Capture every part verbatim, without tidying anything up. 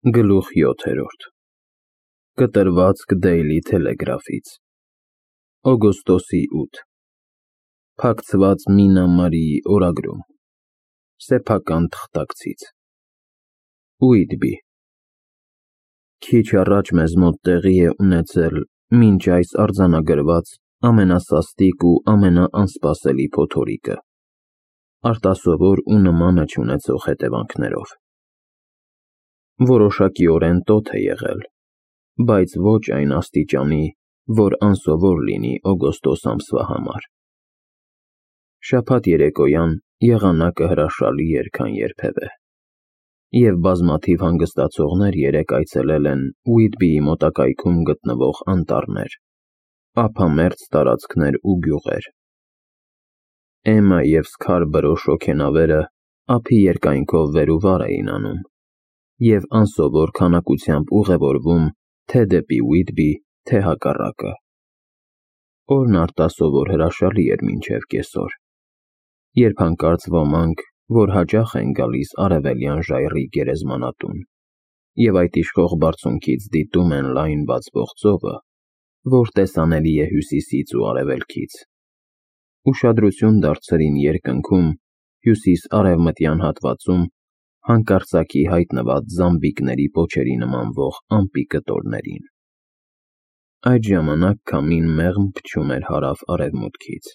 Գլուխ յոթերորդ Կտրվածք Դեյլի Թելեգրաֆից օգոստոսի ութ Փակցված Մինա Մարիի օրագրում Սեփական թղթակցից Ուիտբի Քիչ առաջ մեզ մոտ տեղի է ունեցել մինչ այս արձանագրված ամենասաստիկ ու ամենաանսպասելի փոթորիկը, արտասովոր ու նմանը չունեցող հետևանքներով։ Որոշակիորեն տոթ է եղել, բայց ոչ այն աստիճանի, որ անսովոր լինի օգոստոս ամսվա համար։ Շաբաթ երեկոյան եղանակը հրաշալի էր, քան երբևէ, և բազմաթիվ հանգստացողներ երեկ այցելել են Ուիտբիի մոտակայքում գտնվող անտառներ, ափամերձ տարածքներ ու գյուղեր։ Էմմա և Սքարբրո շոգենավերը ափի երկայնքով վեր ու վար էին անում և անսովոր քանակությամբ ուղևորվում թե դեպի Ուիտբի, թե հակառակը։ Օրն արտասովոր հրաշալի էր մինչև կեսօր, երբ հանկարծ ոմանք, որ հաճախ են գալիս արևելյան ժայռի գերեզմանատուն և այդ իշխող բարձունքից դիտում են լայն բացվող ծովը, որ տեսանելի է հյուսիսից ու արևելքից, ուշադրություն դարձրին երկնքում հյուսիս֊արևմտյան հատվածում հանկարծակի հայտնված զամբիկների պոչերի նմանվող ամպի կտորներին։ Այդ ժամանակ քամին մեղմ փչում էր հարավ֊արևմուտքից,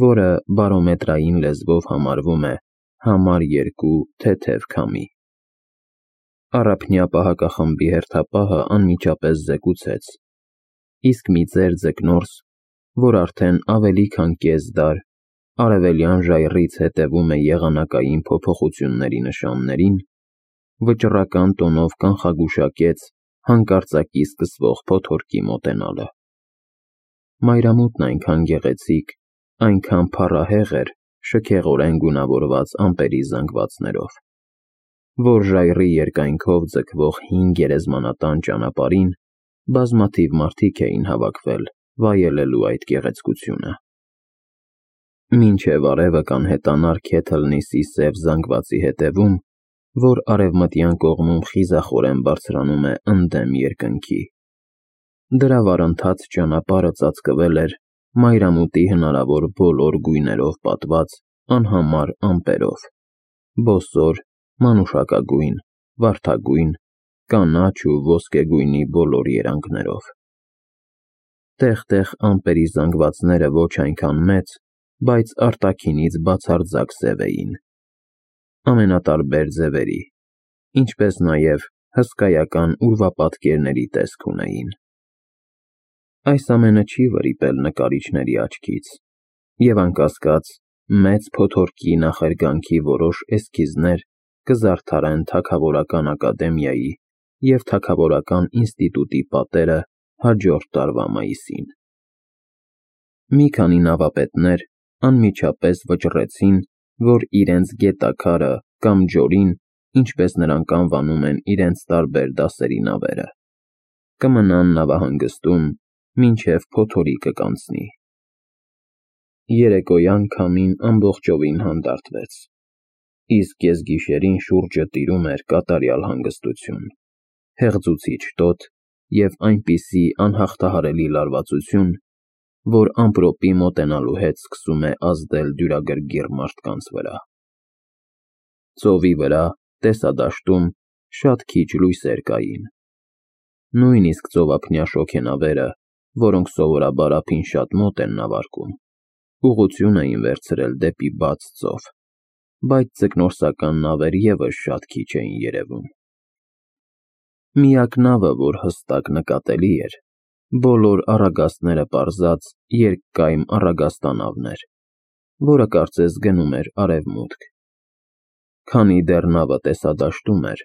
որը բարոմետրային լեզվով համարվում է համար երկու թեթև քամի։ Առափնյա պահակախմբի հերթապահը անմիջապես զեկուցեց, իսկ մի ծեր ձկնորս, որ արդեն ավելի քան կես դար արևելյան ժայռից հետևում է եղանակային փոփոխությունների նշաններին, վճռական տոնով կանխագուշակեց հանկարծակի սկսվող փոթորկի մոտենալը։ Մայրամուտն այնքան գեղեցիկ, այնքան փառահեղ էր շքեղորեն գունավորված ամպերի զանգվածներով, որ ժայռի երկայնքով ձգվող հին գերեզմանատան ճանապարհին բազմաթիվ մարդիկ էին հավաքվել վայելելու այդ գեղեցկությունը։ Մինչև արևը կանհետանար Քեթլնիսի սև զանգվածի հետևում, որ արևմտյան կողմում խիզախորեն բարձրանում է ընդդեմ երկնքի, դրա վառընթաց ճանապարհը ծածկվել էր մայրամուտի հնարավոր բոլոր գույներով պատված անհամար ամպերով՝ բոսոր, մանուշակագույն, վարդագույն, կանաչ ու ոսկեգույնի բոլոր երանգներով։ Տեղ-տեղ ամպերի զանգվածները ոչ այնքան մեծ, բայց արտաքինից բացարձակ սև էին, ամենատարբեր ձևերի, ինչպես նաև հսկայական ուրվապատկերների տեսք ունեին։ Այս ամենը չի վրիպել նկարիչների աչքից, և անկասկած, մեծ փոթորկի նախերգանքի որոշ էսքիզներ կզարդարեն Թագավորական ակադեմիայի և Թագավորական ինստիտուտի պատերը հաջորդ տարվա մայիսին։ Մի քանի նավապետներ անմիջապես վճռեցին, որ իրենց գետաքարը կամ ջորին, ինչպես նրանք անվանում են իրենց տարբեր դասերի նավերը, կմնան նավահանգստում, մինչև փոթորիկը կանցնի։ Երեկոյան քամին ամբողջովին հանդարտվեց, իսկ կեսգիշերին շուրջը տիրում էր կատարյալ հանգստություն, հեղձուցիչ տոթ և այնպիսի անհաղթահարելի լարվածություն, որ ամպրոպի մոտենալու հետ սկսում է ազդել դյուրագրգիռ մարդկանց վրա։ Ծովի վրա, տեսադաշտում, շատ քիչ լույսեր կային։ Նույնիսկ ծովափնյա շոգենավերը, որոնք սովորաբար ափին շատ մոտ են նավարկում, ուղղություն էին վերցրել դեպի բաց ծով, բայց ձկնորսական նավեր ևս շատ քիչ էին երևում։ Միակ նավը, որ հստակ նկատելի էր, բոլոր առագաստները պարզած երկկայմ առագաստանավն էր, որը կարծես գնում էր արևմուտք։ Քանի դեռ նավը տեսադաշտում էր,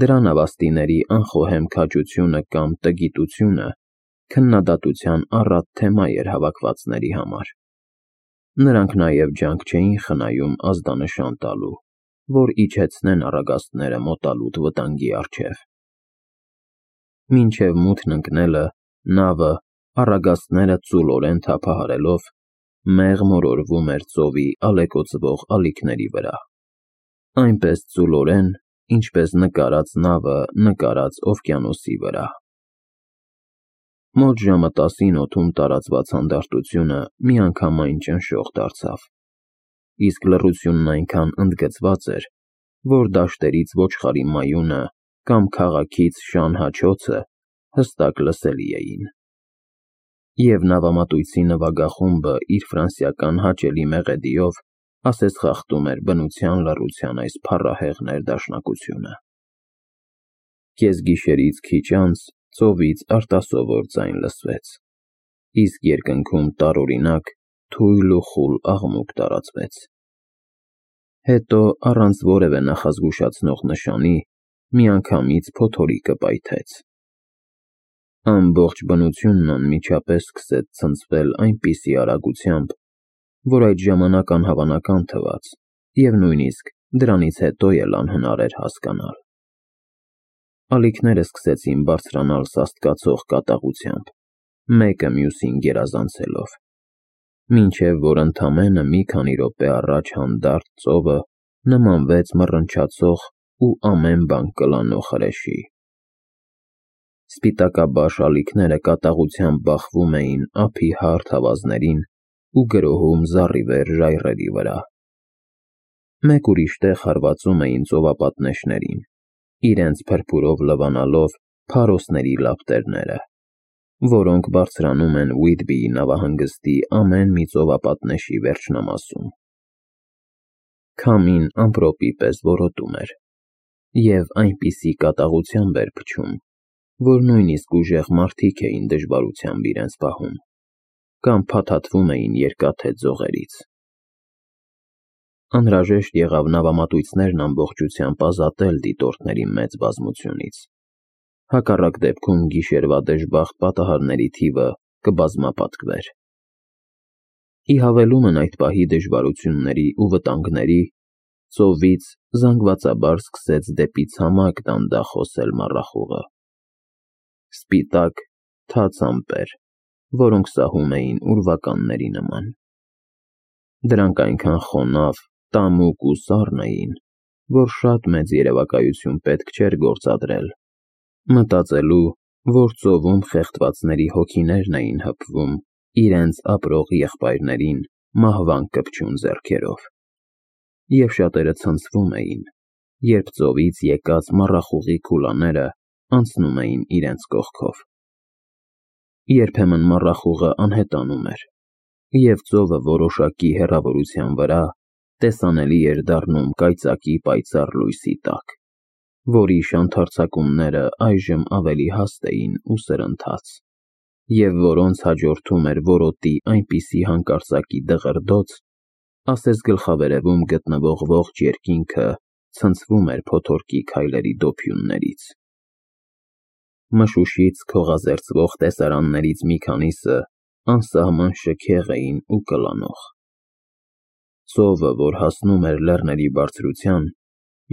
դրա նավաստիների անխոհեմ քաջությունը կամ տգիտությունը քննադատության առատ թեմա էր հավաքվածների համար։ Նրանք նաև ջանք չէին խնայում ազդանշան տալու, որ իջեցնեն առագաստները մոտալուտ վտանգի առջև։ Մինչև մութն ընկնելը նավը, առագաստները ծուլորեն թափահարելով, մեղմ օրորվում էր ծովի ալեկոծվող ալիքների վրա, այնպես ծուլորեն, ինչպես նկարած նավը նկարած օվկիանոսի վրա։ Մոտ ժամը տասին օդում տարածված հանդարտությունը միանգամայն ճնշող դարձավ, իսկ լռությունն այնքան ընդգծված էր, որ դաշտերից ոչխարի մայունը կամ քաղաքից շան հաչոցը հստակ լսելի էին։ Եվ նավամատույցի նվագախումբը իր ֆրանսիական հաճելի մեղեդիով ասես խախտում էր բնության լռության այս փառահեղ ներդաշնակությունը։ Կեսգիշերից քիչ անց ծովից արտասովոր ձայն լսվեց, իսկ երկնքում տարօրինակ, թույլ ու խուլ աղմուկ տարածվեց։ Հետո, առանց որևէ նախազգուշացնող նշանի, միանգամից փոթորիկը պայթեց։ Ամբողջ բնությունն անմիջապես սկսեց ցնցվել այնպիսի արագությամբ, որ այդ ժամանակ անհավանական թվաց և նույնիսկ դրանից հետո էլ անհնար էր հասկանալ։ Ալիքները սկսեցին բարձրանալ սաստկացող կատաղությամբ, մեկը մյուսին գերազանցելով, մինչև որ ընդամենը մի քանի րոպե առաջ հանդարտ ծովը նմանվեց մռնչացող ու ամեն բան կլանող հրեշի։ Սպիտակաբաշ ալիքները կատաղությամբ բախվում էին ափի հարթ ավազներին ու գրոհում զառիվեր ժայռերի վրա։ Մեկ ուրիշ տեղ հարվածում էին ծովապատնեշներին, իրենց փրփուրով լվանալով փարոսների լապտերները, որոնք բարձրանում են Ուիթբիի նավահանգստի ամեն մի ծովապատնեշի վերջնամասում։ Քամին ամպրոպի պես որոտում էր և այնպիսի կատաղությամբ էր փչում, որ նույնիսկ ուժեղ մարդիկ էին դժվարությամբ իրենց պահում կամ փաթաթվում էին երկաթե ձողերից։ Անհրաժեշտ եղավ նավամատույցներն ամբողջությամբ ազատել դիտորդների մեծ բազմությունից, հակառակ դեպքում գիշերվա դժբախտ պատահարների թիվը կբազմապատկվեր։ Ի հավելումն այդ պահի դժվարությունների ու վտանգների, ծովից զանգվածաբար սկսեց դեպի ցամաք դանդաղ հոսել մառախուղը։ Սպիտակ, թաց ամպեր, որոնք սահում էին ուրվականների նման։ Դրանք այնքան խոնավ, տամուկ ու սառն էին, որ շատ մեծ երևակայություն պետք չէր գործադրել, մտածելու, որ ծովում խեղդվածների հոգիներն էին հպվում իրենց ապրող եղբայրներին մահվան կպչուն ձեռքերով, և շատերը ցնցվում էին, երբ ծովից եկած մառախուղի քուլաները անցնում էին իրենց կողքով։ Երբեմն մառախուղը անհետանում էր, և ծովը որոշակի հեռավորության վրա տեսանելի էր դառնում կայծակի պայծառ լույսի տակ, որի շանթարցակումները այժմ ավելի հաստ էին ու սրընթաց, և որոնց հաջորդում էր որոտի այնպիսի հանկարծակի դղրդոց, ասես գլխավերևում գտնվող ողջ երկինքը ցնցվում էր փոթորկի քայլերի դոփյուններից։ Մշուշից քողազերծվող տեսարաններից մի քանիսը անսահման շքեղ էին ու կլանող։ Ծովը, որ հասնում էր լեռների բարձրության,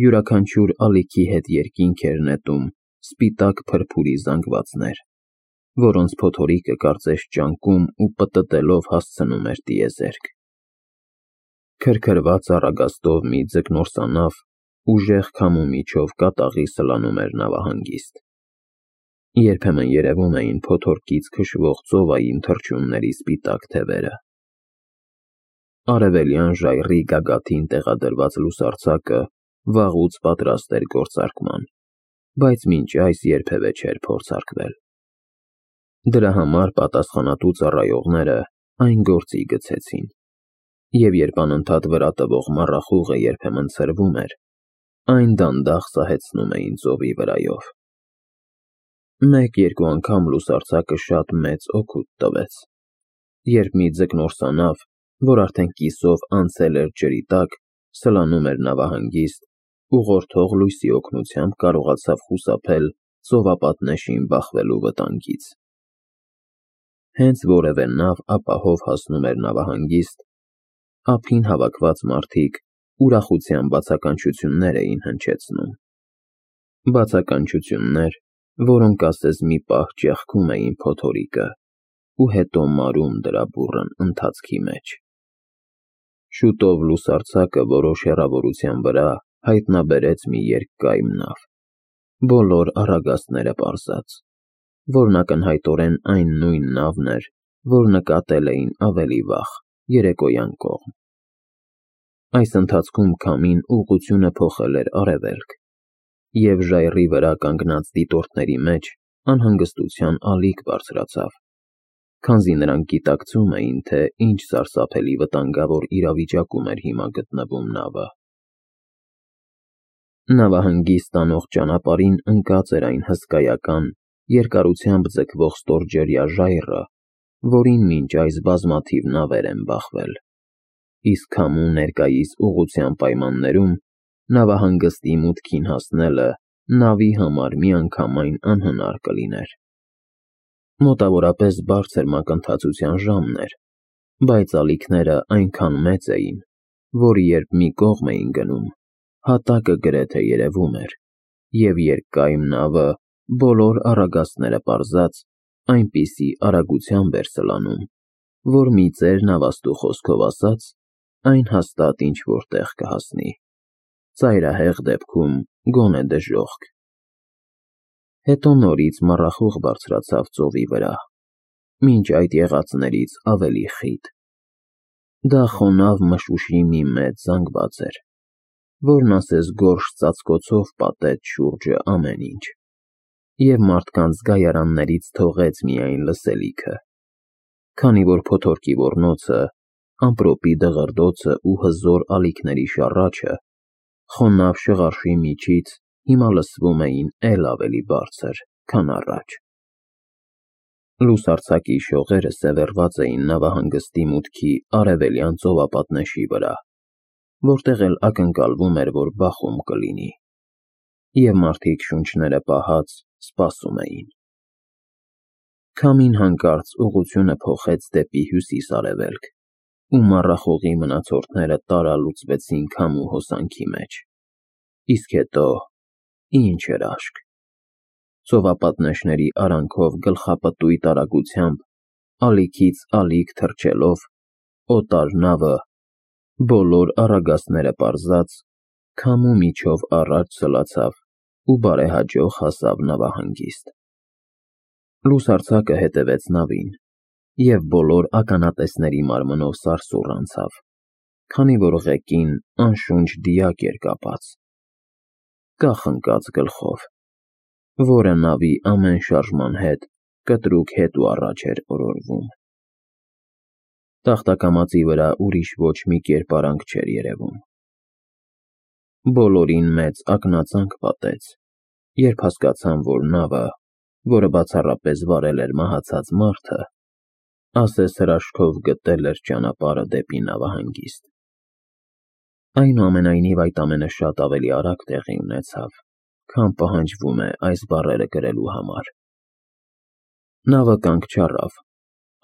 յուրաքանչյուր ալիքի հետ երկինք էր նետում սպիտակ փրփուրի զանգվածներ, որոնց փոթորիկը կարծես ճանկում ու պտտելով հասցնում էր տիեզերք։ Քրքրված առագաստով մի ձկնորսանավ ուժեղ քամու միջով կատաղի սլանում էր նավահանգիստ։ Երբեմն երևում էին փոթորկից քշվող ծովային թռչունների սպիտակ թևերը։ Արևելյան ժայռի գագաթին տեղադրված լուսարձակը վաղուց պատրաստ էր գործարկման, բայց մինչ այս երբևէ չէր փորձարկվել։ Դրա համար պատասխանատու ծառայողները այն գործի գցեցին, և երբ անընդհատ վրա տվող մառախուղը երբեմն ցրվում էր, այն դանդաղ սահեցնում էին ծովի վրայով։ Մեկ-երկու անգամ լուսարձակը շատ մեծ օգուտ տվեց, երբ մի ձկնորսանավ, որ արդեն կիսով անցել էր ջրի տակ, սլանում էր նավահանգիստ, ուղղորդող լույսի օգնությամբ կարողացավ խուսափել ծովապատնեշին բախվելու վտանգից։ Հենց որևէ նավ ապահով հասնում էր նավահանգիստ, ափին հավաքված մարդիկ ուրախության բացականչություններ էին հնչեցնում։ Բացականչություններ, որոնք ասես մի պահ ճեղքում էին փոթորիկը ու հետո մարում դրա բուռն ընթացքի մեջ։ Շուտով լուսարձակը որոշ հեռավորության վրա հայտնաբերեց մի երկկայմ նավ, բոլոր առագաստները պարզած, որն ակնհայտորեն այն նույն նավն էր, որ նկատել էին ավելի վաղ, երեկոյան կողմ։ Այս ընթացքում քամին ուղղությունը փոխել էր արևելք, և ժայռի վրա կանգնած դիտորդների մեջ անհանգստության ալիք բարձրացավ, քանզի նրանք գիտակցում էին, թե ինչ սարսափելի վտանգավոր իրավիճակում էր հիմա գտնվում նավը։ Նավահանգիստ տանող ճանապարհին ընկած էր այն հսկայական, երկարությամբ ձգվող ստորջրյա ժայռը, որին մինչ այս բազմաթիվ նավեր են բախվել, իսկ քամու ներկայիս ուղղության պայմաններում նավահանգստի մուտքին հասնելը նավի համար միանգամայն անհնար կլիներ։ Մոտավորապես բարձր մակընթացության ժամն էր, բայց ալիքները այնքան մեծ էին, որ երբ մի կողմ էին գնում, հատակը գրեթե երևում էր, և երկկայմ նավը, բոլոր առագաստները պարզած, այնպիսի արագությամբ էր սլանում, որ մի ծեր նավաստու խոսքով ասած, այն հաստատ ինչ-որ տեղ կհասնի, ծայրահեղ դեպքում գոնե դժոխք։ Հետո նորից մառախուղ բարձրացավ ծովի վրա, մինչ այդ եղածներից ավելի խիտ։ Դա խոնավ մշուշի մի մեծ զանգված էր, որն ասես գորշ ծածկոցով պատեց շուրջը ամեն ինչ, և մարդկանց գայարաններից թողեց միայն լսելիքը, քանի որ փոթորկի ոռնոցը, ամպրոպի դղրդոցը ու հզոր ալիքների շառաչը խոնավ շղարշի միջից հիմա լսվում էին էլ ավելի բարձր, քան առաջ։ Լուսարձակի շողերը սևեռված էին նավահանգստի մուտքի արևելյան ծովապատնեշի վրա, որտեղ էլ ակնկալվում էր, որ բախում կլինի, և մարդիկ շունչները պահած սպասում էին։ Քամին հանկարծ ուղղությունը փոխեց դեպի հյուսիս֊արևելք, ու մառախուղի մնացորդները տարալուծվեցին քամու հոսանքի մեջ, իսկ հետո ինչ էր աշկ։ Ծովապատնեշների արանքով գլխապտույտ արագությամբ, ալիքից ալիք թռչելով, օտար նավը, բոլոր առագաստները պարզած, քամու միջով առաջ սլացավ ու բարեհաջող հասավ նավահանգիստ։ Լուսարձակը հետևեց նավին, և բոլոր ականատեսների մարմնով սարսուռ անցավ, քանի որ ղեկին անշունչ դիակ էր կապած, կախնկած գլխով, որը նավի ամեն շարժման հետ կտրուկ հետ ու առաջ էր օրորվում։ Տախտակամածի վրա ուրիշ ոչ մի կերպարանք չէր երևում։ Բոլորին մեծ ակնածանք պատեց, երբ հասկացան, որ նավը, որը բացառապես վարել էր մահացած մարդը, ասես հրաշքով գտել էր ճանապարհը դեպի նավահանգիստ։ Այնուամենայնիվ այդ ամենը շատ ավելի արագ տեղի ունեցավ, քան պահանջվում է այս բառերը գրելու համար։ Նավը կանգ չառավ,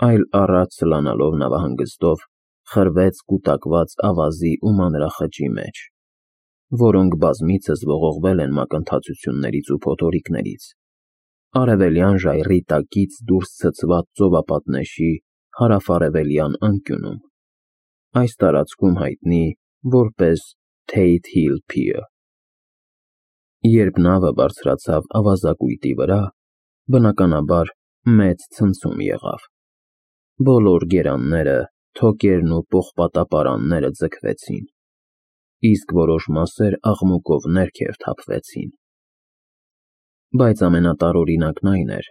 այլ առաջ սլանալով նավահանգստով խրվեց կուտակված ավազի ու մանրախճի մեջ, որոնք բազմիցս ողողվել են մակընթացություններից ու փոթորիկներից, արևելյան ժայռի տակից դուրս ցցված ծովապատնեշի հարավարևելյան անկյունում, այս տարածքում հայտնի որպես Tate Hill Pier։ Երբ նավը բարձրացավ ավազակույտի վրա, բնականաբար մեծ ցնցում եղավ։ Բոլոր գերանները, թոկերն ու պողպատապարանները ձգվեցին, իսկ որոշ մասեր աղմուկով ներքև թափվեցին։ Բայց ամենատարօրինակն այն էր,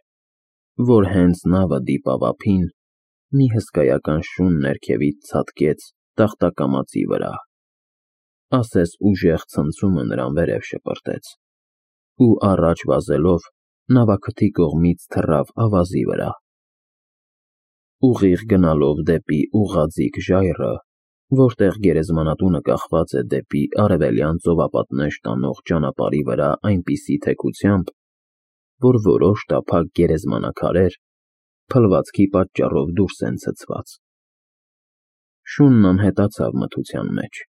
որ հենց նավը դիպավ ափին, մի հսկայական շուն ներքևից ցատկեց տախտակամածի վրա, ասես ուժեղ ցնցումը նրան վերև շպրտեց, ու առաջ վազելով նավաքթի կողմից թռավ ավազի վրա։ Ուղիղ գնալով դեպի ուղղաձիգ ժայռը, որտեղ գերեզմանատունը կախված է դեպի արևելյան ծովապատնեշ տանող ճանապարհի վրա այնպիսի թեքությամբ, որ որոշ տափակ գերեզմանաքարեր փլվածքի պատճառով դուրս են ցցված, շունն անհետացավ մթության մեջ,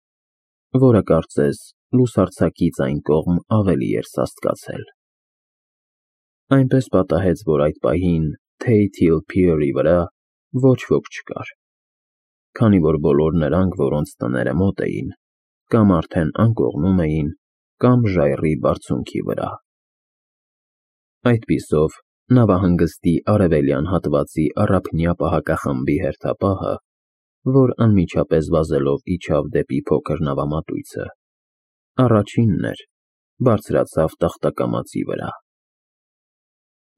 որը կարծես լուսարձակից այն կողմ ավելի էր սաստկացել։ Այնպես պատահեց, որ այդ պահին Tate Hill Pier-ի վրա ոչ ոք չկար, քանի որ բոլոր նրանք, որոնց տները մոտ էին, կամ արդեն անկողնում էին, կամ ժայռի բարձունքի վրա։ Այդպիսով նավահանգստի արևելյան հատվածի առափնյա պահակախմբի հերթապահը, որ անմիջապես վազելով իջավ դեպի փոքր նավամատույցը, առաջինն էր, բարձրացավ տախտակամածի վրա։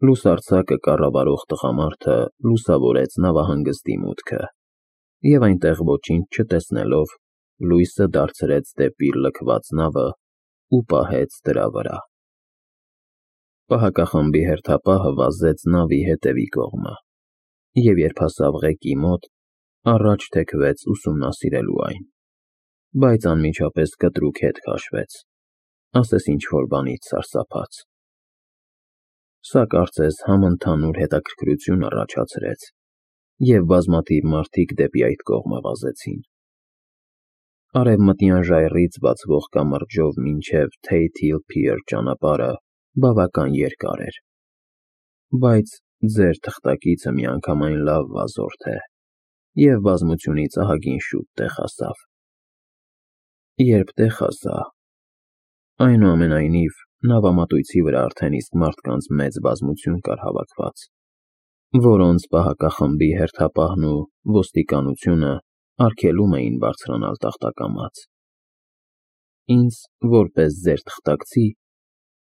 Լուսարձակը կառավարող տղամարդը լուսավորեց նավահանգստի մուտքը և այնտեղ ոչինչ չտեսնելով լույսը դարձրեց դեպի լքված նավը ու պահեց դրա վրա։ Պահակախմբի հերթապահը վազեց նավի հետևի կողմը և երբ հասավ ղեկի մոտ, առաջ թեքվեց ուսումնասիրելու այն, բայց անմիջապես կտրուկ հետ քաշվեց, ասես ինչ-որ բանից սարսափած։ Սա կարծես համընդհանուր հետաքրքրություն առաջացրեց, և բազմաթիվ մարդիկ դեպի այդ կողմը վազեցին։ Արևմտյան ժայռից բացվող կամրջով մինչև Tate Hill Pier ճանապարհը բավական երկար էր, բայց ձեր թղթակիցը միանգամայն լավ վազորդ է և բազմությունից ահագին շուտ տեղ հասավ։ Երբ տեղ հասա, այնուամենայնիվ, նավամատույցի վրա արդեն իսկ մարդկանց մեծ բազմություն կար հավաքված, որոնց պահակախմբի հերթապահն ու ոստիկանությունը արգելում էին բարձրանալ տախտակամաց։ Ինձ, որպես ձեր թղթակցի,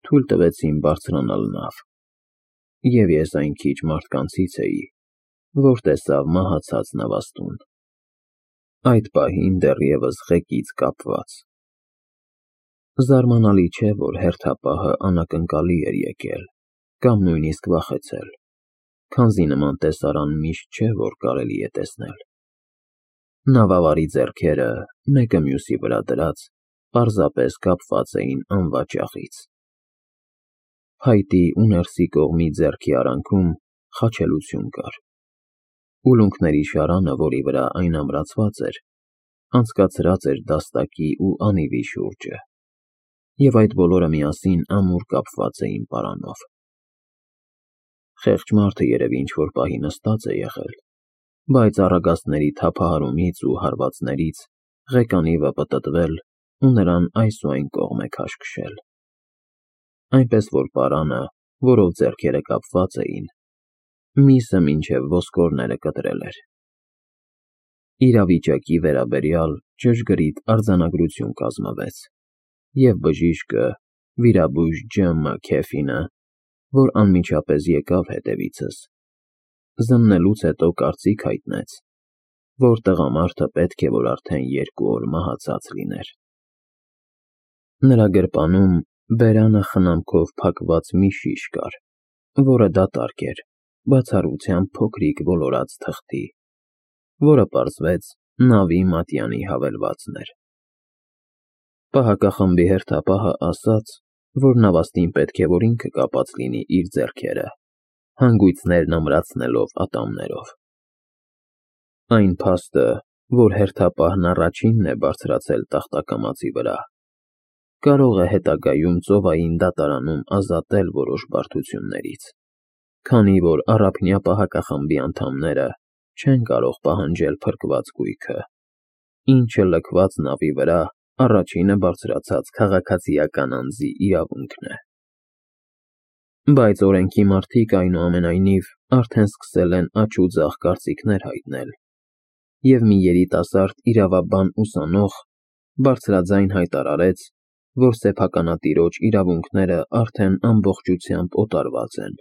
թույլ տվեցին բարձրանալ նավ, և ես այն քիչ մարդկանցից էի, որ տեսավ մահացած նավաստուն, այդ պահին դեռևս ղեկից կապված։ Զարմանալի չէ, որ հերթապահը անակնկալի էր եկել կամ նույնիսկ վախեցել, քանզի նման տեսարան միշտ չէ, որ կարելի է տեսնել։ Նավավարի ձեռքերը, մեկը մյուսի վրա դրած, պարզապես կապված էին անվաճառից։ Փայտի ու ներսի կողմի ձեռքի արանքում խաչելություն կար։ Ուլունքների շարանը, որի վրա այն ամրացված էր, անցկացրած էր դաստակի ու անիվի շուրջը, և այդ բոլորը միասին ամուր կապված էին պարանով։ Խեղճ մարդը երևի ինչ-որ պահի նստած է եղել, բայց առագաստների թափահարումից ու հարվածներից ղեկանիվը պտտվել ու նրան այս ու այն կողմ է քաշքշել, այնպես որ պարանը, որով ձեռքերը կապված էին, միսը մինչև ոսկորները կտրել էր։ Իրավիճակի վերաբերյալ ճշգրիտ արձանագրություն կազմվեց, և բժիշկը, վիրաբույժ Ջ Մ Քեֆինը, որ անմիջապես եկավ հետևիցս, զննելուց հետո կարծիք հայտնեց, որ տղամարդը պետք է որ արդեն երկու օր մահացած լիներ։ Նրա գրպանում բերանը խնամքով փակված մի շիշ կար, որը դատարկ էր, բացառությամբ փոքրիկ ոլորած թղթի, որը պարզվեց նավի մատյանի հավելվածն էր։ Պահակախմբի հերթապահը ասաց, որ նավաստին պետք է որ ինքը կապած լինի իր ձեռքերը, հանգույցներն ամրացնելով ատամներով։ Այն փաստը, որ հերթապահն առաջինն է բարձրացել տախտակամածի վրա, կարող է հետագայում ծովային դատարանում ազատել որոշ բարդություններից, քանի որ առափնյա պահակախմբի անդամները չեն կարող պահանջել փրկված գույքը, ինչը լքված նավի վրա առաջինը բարձրացած քաղաքացիական անձի իրավունքն է։ Բայց օրենքի մարդիկ, այնուամենայնիվ, արդեն սկսել են աջ ու ձախ կարծիքներ հայտնել, և մի երիտասարդ իրավաբան ուսանող բարձրաձայն հայտարարեց, որ սեփականատիրոջ իրավունքները արդեն ամբողջությամբ օտարված են,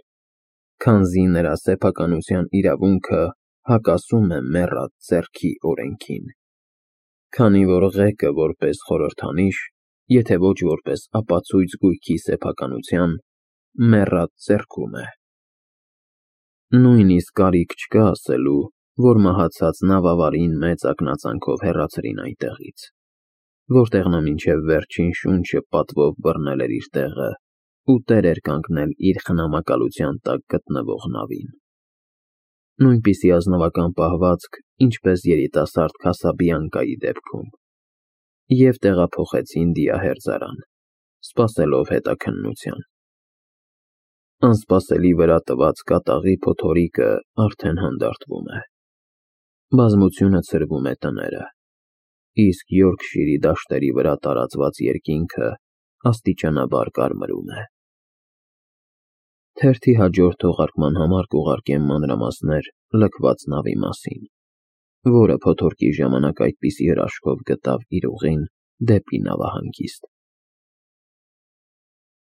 քանզի նրա սեփականության իրավունքը հակասում է մեռած ձեռքի օրենքին, քանի որ ղեկը որպես խորհրդանիշ, եթե ոչ որպես ապացույց գույքի սեփականության, մեռած ձեռքում է։ Նույնիսկ կարիք չկա ասելու, որ մահացած նավավարին մեծ ակնածանքով հեռացրին այնտեղից, որտեղ նա մինչև վերջին շունչը պատվով բռնել էր իր տեղը ու տեր էր կանգնել իր խնամակալության տակ գտնվող նավին։ Նույնպիսի ազնվական պահվածք, ինչպես երիտասարդ Քասաբլանկայի դեպքում, և տեղափոխեցին դիահերձարան, սպասելով հետաքննության։ Անսպասելի վրա տված կատաղի փոթորիկը արդեն հանդարտվում է։ Բազմությունը ցրվում է տները, իսկ Յորքշիրի դաշտերի վրա տարածված երկինքը աստիճանաբար կարմրում է։ Թերթի հաջորդ թողարկման համար կուղարկեմ մանրամասներ լքված նավի մասին, որը փոթորկի ժամանակ այդպիսի հրաշքով գտավ իր ուղին դեպի նավահանգիստ։